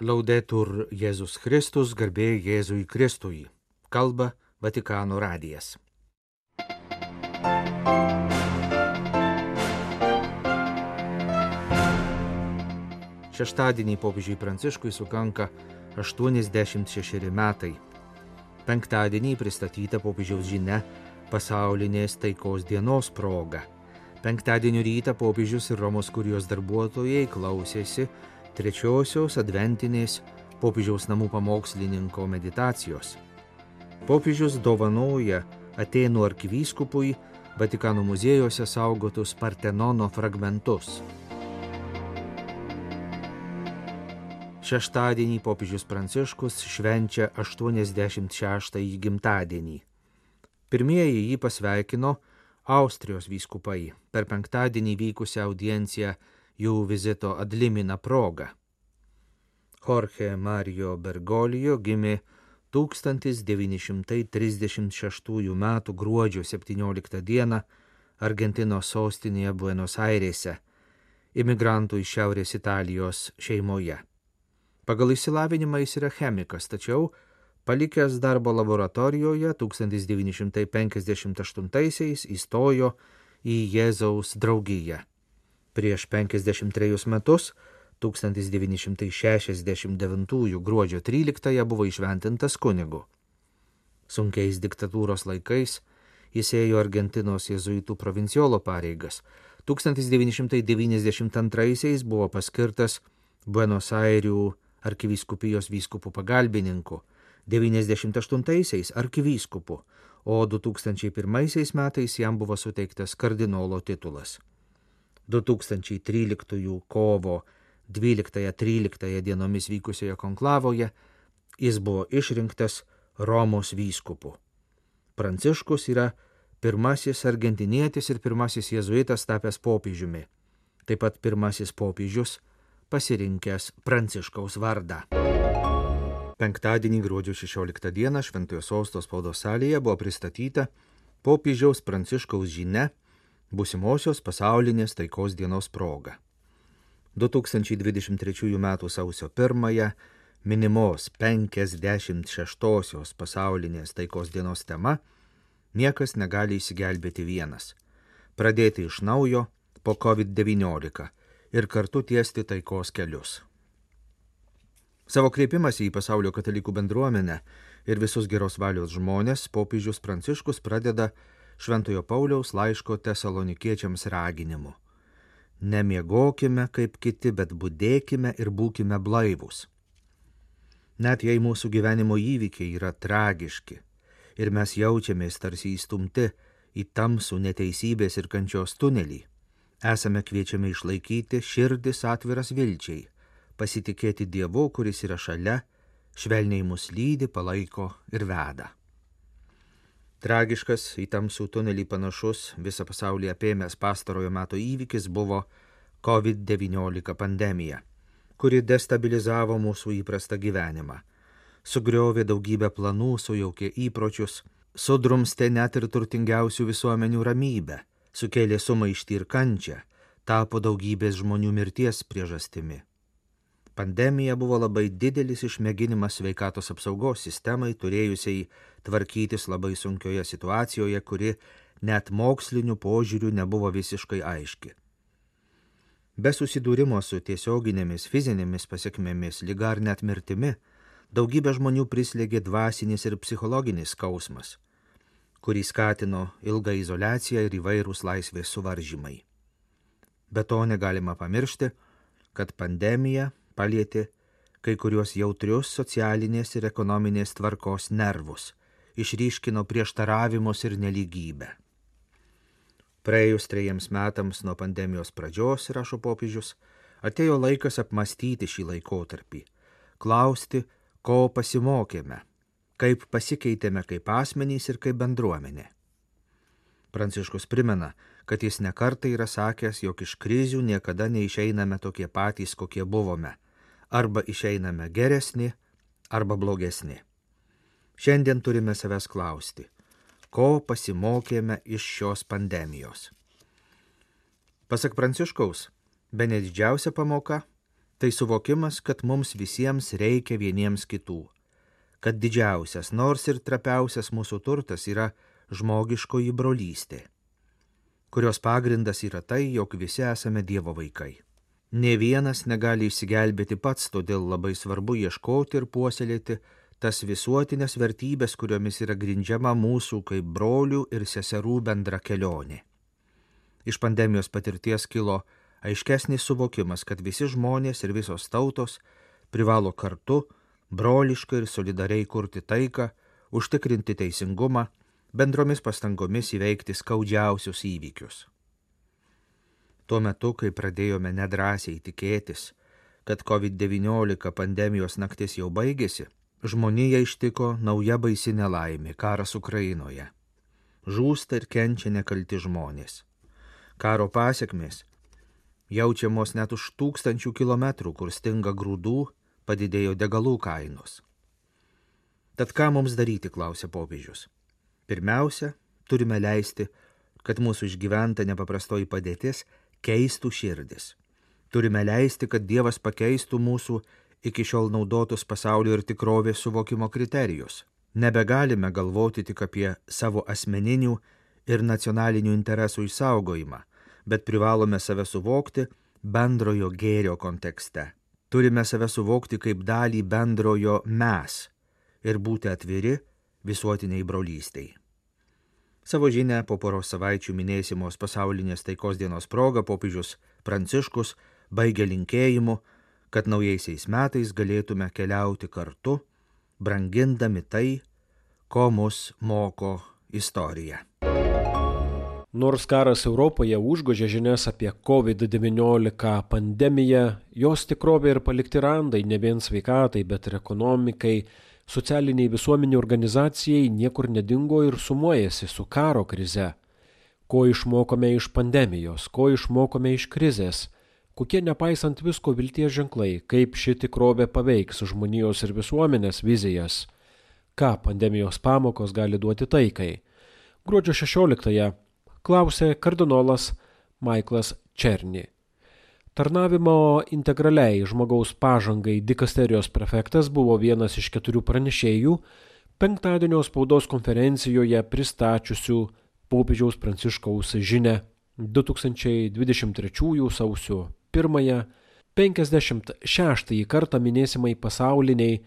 Laudetur Jėzus Kristus, garbė Jėzui Kristui. Kalba Vatikano radijas. Šeštadienį popiežiui Pranciškui sukanka 86 metai. Penktadienį pristatyta popiežiaus žinia pasaulinės taikos dienos proga. Penktadienio rytą popiežius ir Romos kurijos darbuotojai klausėsi trečiosios adventinės popiežiaus namų pamokslininko meditacijos. Popiežius dovanoja Atėnų arkivyskupui Vatikano muziejuose saugotus Partenono fragmentus. Šeštadienį popiežius Pranciškus švenčia 86-ąjį gimtadienį. Pirmieji jį pasveikino Austrijos vyskupai per penktadienį vykusią audienciją jų vizito ad limina proga. Jorge Mario Bergoglio gimė 1936 m. gruodžio 17 d. Argentinos sostinėje Buenos Airėse, imigrantų iš Šiaurės Italijos šeimoje. Pagal išsilavinimą jis yra chemikas, tačiau palikęs darbo laboratorijoje 1958 įstojo į Jėzaus draugiją. Prieš 53 metus, 1969 gruodžio 13 buvo įšventintas kunigu. Sunkiais diktatūros laikais jis ėjo Argentinos jėzuitų provinciolo pareigas. 1992 buvo paskirtas Buenos Airių arkivyskupijos vyskupų pagalbininku, 1998 arkivyskupu, o 2001 metais jam buvo suteiktas kardinolo titulas. 2013 kovo 12-13 dienomis vykusioje konklavoje jis buvo išrinktas Romos vyskupu. Pranciškus yra pirmasis argentinietis ir pirmasis jėzuitas tapęs popiežiumi, taip pat pirmasis popiežius pasirinkęs Pranciškaus vardą. Penktadienį gruodžio 16 dieną Šventojo Sosto spaudos salėje buvo pristatyta popiežiaus Pranciškaus žinia būsimosios pasaulinės taikos dienos proga. 2023 m. sausio 1 minimos 56 pasaulinės taikos dienos tema niekas negali išsigelbėti vienas. Pradėti iš naujo po COVID-19 ir kartu tiesti taikos kelius. Savo kreipimąsi į pasaulio katalikų bendruomenę ir visus geros valios žmonės popiežius Pranciškus pradeda Šventojo Pauliaus laiško tesalonikiečiams raginimu. Nemiegokime kaip kiti, bet budėkime ir būkime blaivūs. Net jei mūsų gyvenimo įvykiai yra tragiški ir mes jaučiamės tarsi įstumti į tamsų neteisybės ir kančios tunelį, esame kviečiami išlaikyti širdis atviras vilčiai, pasitikėti Dievu, kuris yra šalia, švelniai mus lydi, palaiko ir veda. Tragiškas į tamsų tunelį panašus visą pasaulį apėmęs pastarojo meto įvykis buvo COVID-19 pandemija, kuri destabilizavo mūsų įprastą gyvenimą, sugriovė daugybę planų, sujaukė įpročius, sudrumstė net ir turtingiausių visuomenių ramybę, sukėlė sumaištį ir kančią, tapo daugybės žmonių mirties priežastimi. Pandemija buvo labai didelis išmėginimas sveikatos apsaugos sistemai, turėjusiai tvarkytis labai sunkioje situacijoje, kuri net moksliniu požiūriu nebuvo visiškai aiški. Be susidūrimo su tiesioginėmis fizinėmis pasekmėmis, liga ar net mirtimi, daugybė žmonių prislėgė dvasinis ir psichologinis skausmas, kurį skatino ilga izoliacija ir įvairūs laisvės suvaržymai. Be to negalima pamiršti, kad pandemija palietė kai kuriuos jautrius socialinės ir ekonominės tvarkos nervus, išryškino prieštaravimus ir nelygybę. Praėjus 3 metams nuo pandemijos pradžios, rašo popiežius, atėjo laikas apmastyti šį laikotarpį, klausti, ko pasimokėme, kaip pasikeitėme kaip asmenys ir kaip bendruomenė. Pranciškus primena, kad jis nekartą yra sakęs, jog iš krizių niekada neišeiname tokie patys, kokie buvome, arba išeiname geresni, arba blogesni. Šiandien turime savęs klausti, ko pasimokėme iš šios pandemijos. Pasak Pranciškaus, bene didžiausia pamoka Tai suvokimas, kad mums visiems reikia vieniems kitų, kad didžiausias, nors ir trapiausias mūsų turtas yra žmogiškoji brolystė, kurios pagrindas yra tai, jog visi esame Dievo vaikai. Nė vienas negali išsigelbėti pats, todėl labai svarbu ieškoti ir puoselėti tas visuotinės vertybės, kuriomis yra grindžiama mūsų kaip brolių ir seserų bendra kelionė. Iš pandemijos patirties kilo aiškesnis suvokimas, kad visi žmonės ir visos tautos privalo kartu, broliškai ir solidariai kurti taiką, užtikrinti teisingumą, bendromis pastangomis įveikti skaudžiausius įvykius. Tuo metu, kai pradėjome nedrąsiai tikėtis, kad COVID-19 pandemijos naktis jau baigėsi, žmoniją ištiko nauja baisi nelaimė – karas Ukrainoje. Žūsta ir kenčia nekalti žmonės. Karo pasekmės jaučiamos net už 1000 kilometrų, kur stinga grūdų, padidėjo degalų kainos. Tad ką mums daryti, klausė popiežius. Pirmiausia, turime leisti, kad mūsų išgyventa nepaprastoji padėtis keistų širdis. Turime leisti, kad Dievas pakeistų mūsų iki šiol naudotus pasaulio ir tikrovės suvokimo kriterijus. Nebegalime galvoti tik apie savo asmeninių ir nacionalinių interesų išsaugojimą, bet privalome save suvokti bendrojo gėrio kontekste. Turime save suvokti kaip dalį bendrojo mes ir būti atviri visuotiniai brolystei. Savo žinią po poros savaičių minėsimos pasaulinės taikos dienos proga popiežius Pranciškus baigė linkėjimu, kad naujaisiais metais galėtume keliauti kartu, brangindami tai, ko mus moko istorija. Nors karas Europoje užgožė žinias apie COVID-19 pandemiją, jos tikrovė ir palikti randai ne vien sveikatai, bet ir ekonomikai, socialiniai visuomenių organizacijai niekur nedingo ir sumuojasi su karo krize. Ko išmokome iš pandemijos, ko išmokome iš krizės, kokie nepaisant visko vilties ženklai, kaip ši tikrovė paveiks žmonijos ir visuomenės vizijas, ką pandemijos pamokos gali duoti taikai. Gruodžio 16-ąją klausė kardinolas Michaelas Černy. Tarnavimo integraliai žmogaus pažangai dikasterijos prefektas buvo vienas iš 4 pranešėjų penktadienio spaudos konferencijoje pristačiusių popiežiaus Pranciškaus žinią 2023 sausio 1-ąją 56 kartą minėsimai pasauliniai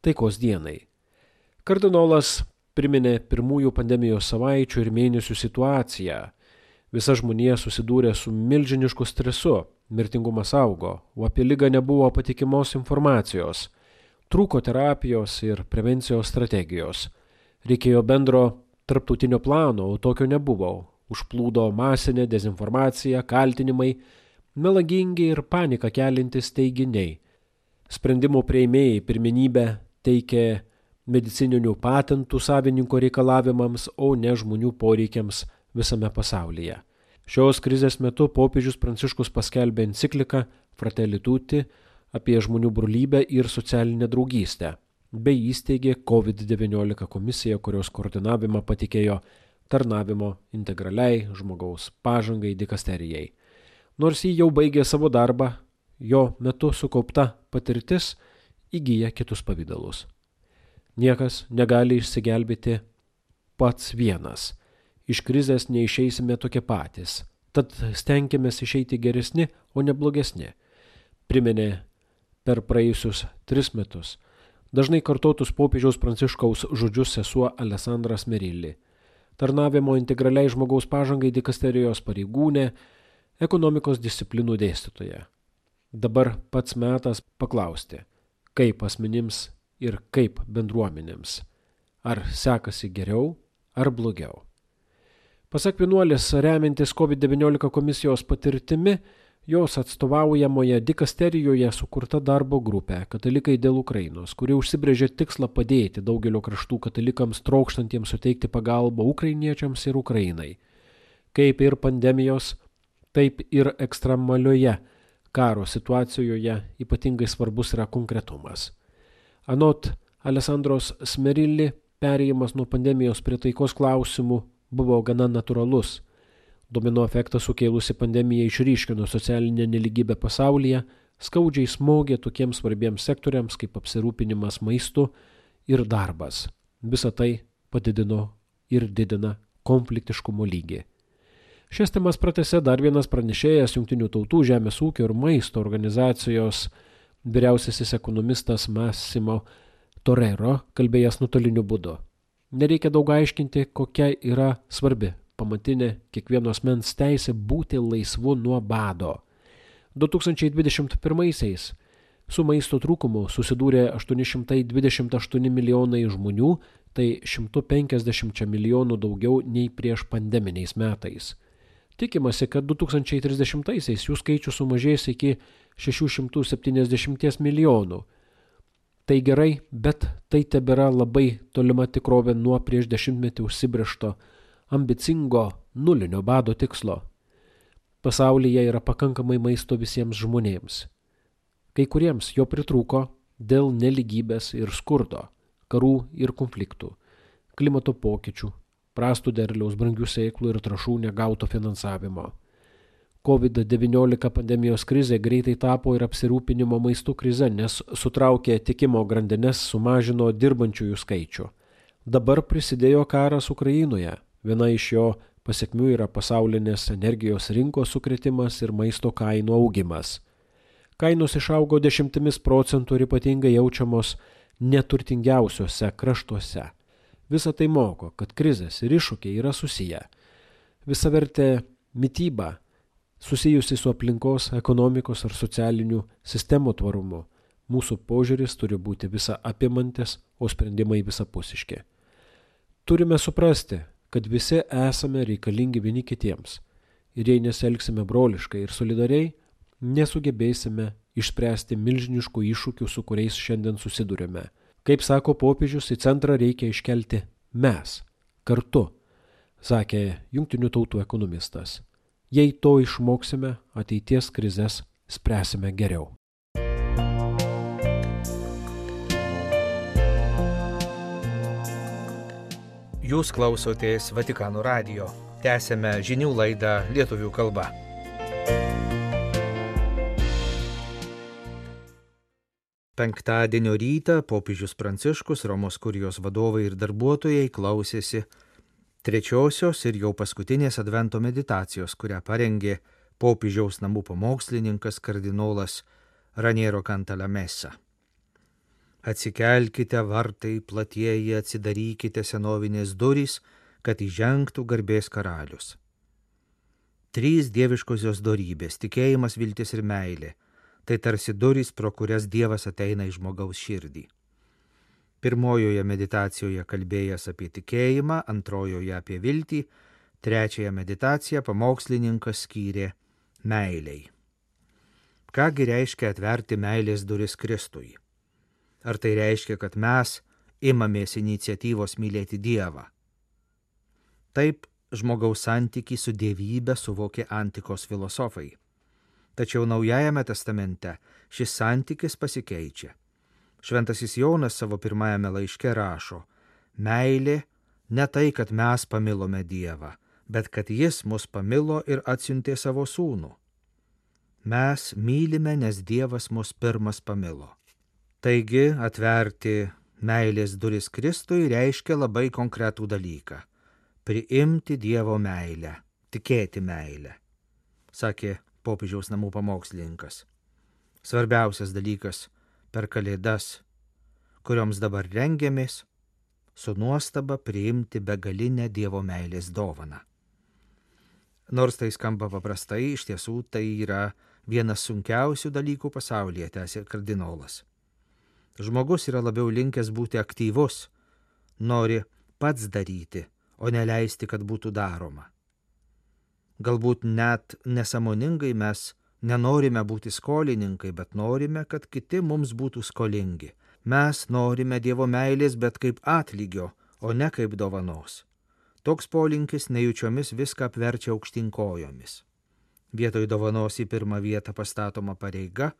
taikos dienai. Kardinolas priminė pirmųjų pandemijos savaičių ir mėnesių situaciją. Visa žmonija susidūrė su milžinišku stresu, mirtingumas augo, o apie ligą nebuvo patikimos informacijos, trūko terapijos ir prevencijos strategijos. Reikėjo bendro tarptautinio plano, o tokio nebuvo. Užplūdo masinė dezinformacija, kaltinimai, melagingi ir paniką keliantys teiginiai. Sprendimų priėmėjai pirmenybę teikė medicininių patentų savininko reikalavimams, o ne žmonių poreikiams visame pasaulyje. Šios krizės metu popiežius Pranciškus paskelbė encikliką Fratelli Tutti apie žmonių brolybę ir socialinę draugystę, bei įsteigė COVID-19 komisiją, kurios koordinavimą patikėjo tarnavimo integraliai žmogaus pažangai dikasterijai. Nors jį jau baigė savo darbą, jo metu sukaupta patirtis įgyja kitus pavydalus. Niekas negali išsigelbėti pats vienas. Iš krizės neišeisime tokie patys, tad stenkimės išeiti geresni, o ne blogesni. Priminė per praėjusius 3 metus dažnai kartotus popiežiaus Pranciškaus žodžius sesuo Alessandra Smerilli, tarnavimo integraliai žmogaus pažangai dikasterijos pareigūnė, ekonomikos disciplinų dėstytoja. Dabar pats metas paklausti, kaip asmenims ir kaip bendruomenėms, ar sekasi geriau ar blogiau. Pasak vienuolės, remiantis COVID-19 komisijos patirtimi, jos atstovaujamoje dikasterijoje sukurta darbo grupė Katalikai dėl Ukrainos, kuri užsibrėžė tikslą padėti daugelio kraštų katalikams trokštantiems suteikti pagalbą ukrainiečiams ir Ukrainai. Kaip ir pandemijos, taip ir ekstremalioje karo situacijoje ypatingai svarbus yra konkretumas. Anot Alessandros Smerilli, perėjimas nuo pandemijos prie taikos klausimų buvo gana natūralus. Domino efektą sukėlusi pandemija išryškino socialinę neligybę pasaulyje, skaudžiai smogė tokiems svarbiems sektoriams kaip apsirūpinimas maistu ir darbas. Visa tai padidino ir didina konfliktiškumo lygį. Šias temas pratęsė dar vienas pranešėjas Jungtinių tautų žemės ūkio ir maisto organizacijos vyriausiasis ekonomistas Massimo Torero, kalbėjęs nuotoliniu būdu. Nereikia daug aiškinti, kokia yra svarbi pamatinė kiekvieno asmens teisė būti laisvu nuo bado. 2021-aisiais su maisto trūkumu susidūrė 828 milijonai žmonių, tai 150 milijonų daugiau nei prieš pandeminiais metais. Tikimasi, kad 2030-aisiais jų skaičius sumažės iki 670 milijonų. Tai gerai, bet tai tebėra labai tolima tikrovė nuo prieš 10 metų užsibrėžto ambicingo nulinio bado tikslo. Pasaulyje yra pakankamai maisto visiems žmonėms. Kai kuriems jo pritrūko dėl nelygybės ir skurdo, karų ir konfliktų, klimato pokyčių, prastų derliaus, brangių sėklų ir trąšų negauto finansavimo. COVID-19 pandemijos krizė greitai tapo ir apsirūpinimo maistu krize, nes sutraukė tiekimo grandines, sumažino dirbančiųjų skaičių. Dabar prisidėjo karas Ukrainoje. Viena iš jo pasekmių yra pasaulinės energijos rinkos sukrėtimas ir maisto kainų augimas. Kainos išaugo 10% ir ypatingai jaučiamos neturtingiausiuose kraštuose. Visa tai moko, kad krizės ir iššūkiai yra susiję. Visavertė mityba susijusi su aplinkos, ekonomikos ar socialinių sistemų tvarumu. Mūsų požiūris turi būti visa apimantis, o sprendimai visapusiški. Turime suprasti, kad visi esame reikalingi vieni kitiems. Ir jei nesielgsime broliškai ir solidariai, nesugebėsime išspręsti milžiniškų iššūkių, su kuriais šiandien susidurime. Kaip sako popiežius, į centrą reikia iškelti mes, kartu, sakė Jungtinių tautų ekonomistas. Jei to išmoksime, ateities krizes spręsime geriau. Jūs klausotės Vatikano radijo. Tęsėme žinių laidą lietuvių kalba. Penktadienio rytą popiežius Pranciškus, Romos kurijos vadovai ir darbuotojai klausėsi trečiosios ir jau paskutinės advento meditacijos, kurią parengė popiežiaus namų pamokslininkas kardinolas Raniero Cantalamessa. Atsikelkite vartai platieji, atsidarykite senovinės durys, kad įžengtų garbės karalius. 3 dieviškosios dorybės – tikėjimas, viltis ir meilė. Tai tarsi durys, pro kurias Dievas ateina į žmogaus širdį. Pirmojoje meditacijoje kalbėjęs apie tikėjimą, antrojoje apie viltį, trečiąją meditaciją pamokslininkas skyrė meilei. Kągi reiškia atverti meilės duris Kristui? Ar tai reiškia, kad mes imamės iniciatyvos mylėti Dievą? Taip žmogaus santykį su dievybė suvokė antikos filosofai. Tačiau Naujajame testamente šis santykis pasikeičia. Šventasis Jonas savo pirmajame laiške rašo: meilė ne tai, kad mes pamilome Dievą, bet kad Jis mus pamilo ir atsiuntė savo sūnų. Mes mylime, nes Dievas mus pirmas pamilo. Taigi atverti meilės duris Kristui reiškia labai konkretų dalyką – priimti Dievo meilę, tikėti meilę, sakė popiežiaus namų pamokslininkas. Svarbiausias dalykas per Kalėdas, kurioms dabar rengiamės, su nuostaba priimti begalinę Dievo meilės dovaną. Nors tai skamba paprastai, iš tiesų tai yra vienas sunkiausių dalykų pasaulyje, tęsė kardinolas. Žmogus yra labiau linkęs būti aktyvus, nori pats daryti, o neleisti, kad būtų daroma. Galbūt net nesąmoningai mes nenorime būti skolininkai, bet norime, kad kiti mums būtų skolingi. Mes norime Dievo meilės, bet kaip atlygio, o ne kaip dovanos. Toks polinkis nejučiomis viską apverčia aukštyn kojomis. Vietoj dovanos į pirmą vietą pastatoma pareiga,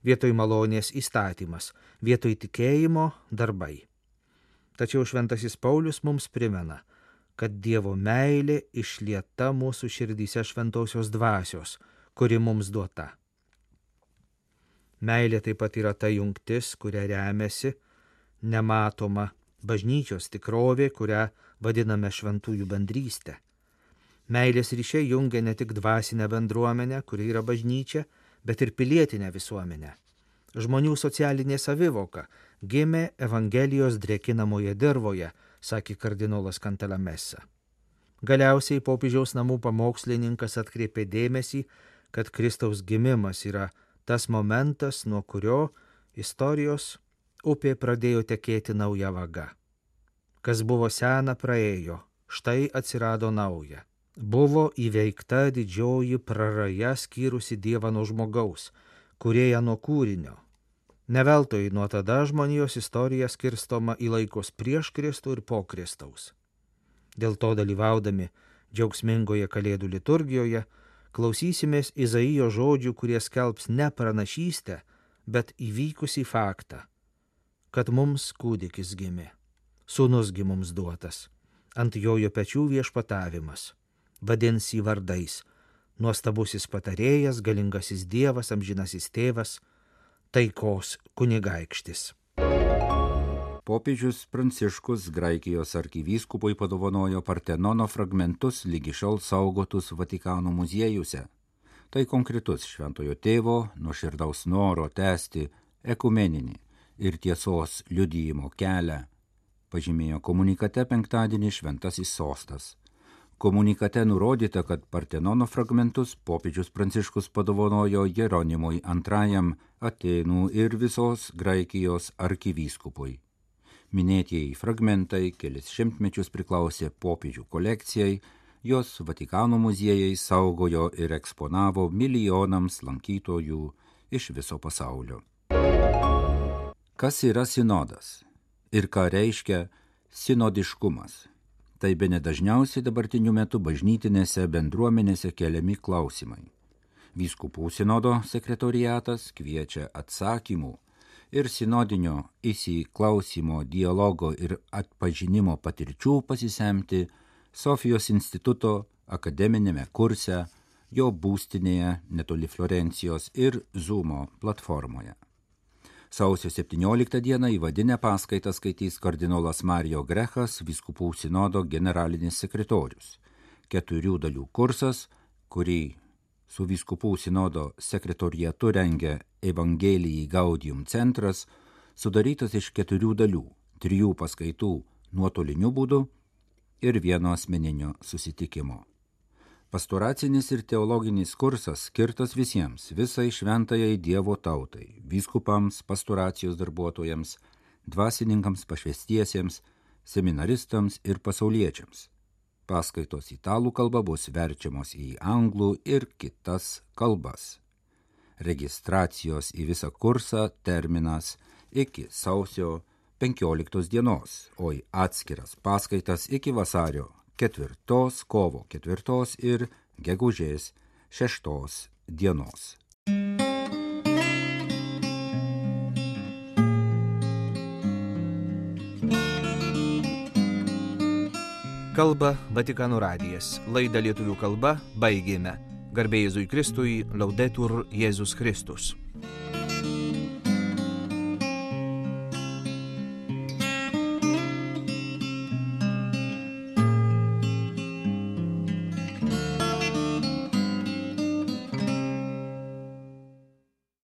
vietoj malonės įstatymas, vietoj tikėjimo darbai. Tačiau šventasis Paulius mums primena, kad Dievo meilė išlieta mūsų širdyse šventosios dvasios, kuri mums duota. Meilė taip pat yra ta jungtis, kuria remiasi nematoma bažnyčios tikrovė, kurią vadiname šventųjų bendrystė. Meilės ryšiai jungia ne tik dvasinę bendruomenę, kuri yra bažnyčia, bet ir pilietinę visuomenę. Žmonių socialinė savivoka gimė Evangelijos drėkinamoje dirvoje, sakė kardinolas Cantalamessa. Galiausiai popiežiaus namų pamokslininkas atkreipė dėmesį, kad Kristaus gimimas yra tas momentas, nuo kurio istorijos upė pradėjo tekėti nauja vaga. Kas buvo sena praėjo, štai atsirado nauja. Buvo įveikta didžioji praraja skyrusi Dievą nuo žmogaus, kūrėją nuo kūrinio. Neveltui nuo tada žmonijos istorija skirstoma į laikus prieš Kristų ir po Kristaus. Dėl to dalyvaudami džiaugsmingoje Kalėdų liturgijoje klausysimės Izaijo žodžių, kurie skelbs ne pranašystę, bet įvykusį faktą, kad mums kūdikis gimė, sūnus gi mums duotas, ant jojo pečių viešpatavimas. Vadins jį vardais: nuostabusis patarėjas, galingasis Dievas, amžinasis tėvas, taikos kunigaikštis. Popiežius Pranciškus Graikijos arkivyskupui padovanojo Partenono fragmentus lygi šiol saugotus Vatikano muziejuose. Tai konkretus šventojo tėvo nuoširdaus noro tęsti ekumeninį ir tiesos liudijimo kelią, pažymėjo komunikate penktadienį Šventasis sostas. Komunikate nurodyta, kad Partenono fragmentus popiežius Pranciškus padovanojo Jeronimui II Atėnų ir visos Graikijos arkivyskupui. Minėtieji fragmentai kelis šimtmečius priklausė popiežių kolekcijai, jos Vatikano muziejai saugojo ir eksponavo milijonams lankytojų iš viso pasaulio. Kas yra sinodas ir ką reiškia sinodiškumas? Tai bene dažniausiai dabartiniu metu bažnytinėse bendruomenėse keliami klausimai. Vyskupų sinodo sekretoriatas kviečia atsakymų ir sinodinio įsiklausimo, dialogo ir atpažinimo patirčių pasisemti Sofijos instituto akademinėme kurse, jo būstinėje netoli Florencijos ir Zoomo platformoje. Sausio 17 dieną įvadinę paskaitą skaitys kardinolas Mario Grechas, vyskupų sinodo generalinis sekretorius. 4 dalių kursas, kurį su vyskupų sinodo sekretoriatu rengia Evangelijai Gaudium centras, sudarytas iš 4 dalių, 3 paskaitų nuotoliniu būdu ir 1 asmeninio susitikimo. Pastoracinis ir teologinis kursas skirtas visiems, visai šventajai Dievo tautai, vyskupams, pastoracijos darbuotojams, dvasininkams pašvestiesiems, seminaristams ir pasauliečiams. Paskaitos italų kalba bus verčiamos į anglų ir kitas kalbas. Registracijos į visą kursą terminas iki sausio 15 dienos, o į atskiras paskaitas iki vasario 4, kovo 4 ir gegužės 6 dienos. Kalba Vatikano radijas. Laidą lietuvių kalba baigėme. Garbė Jėzui Kristui, Laudetur Jėzus Kristus.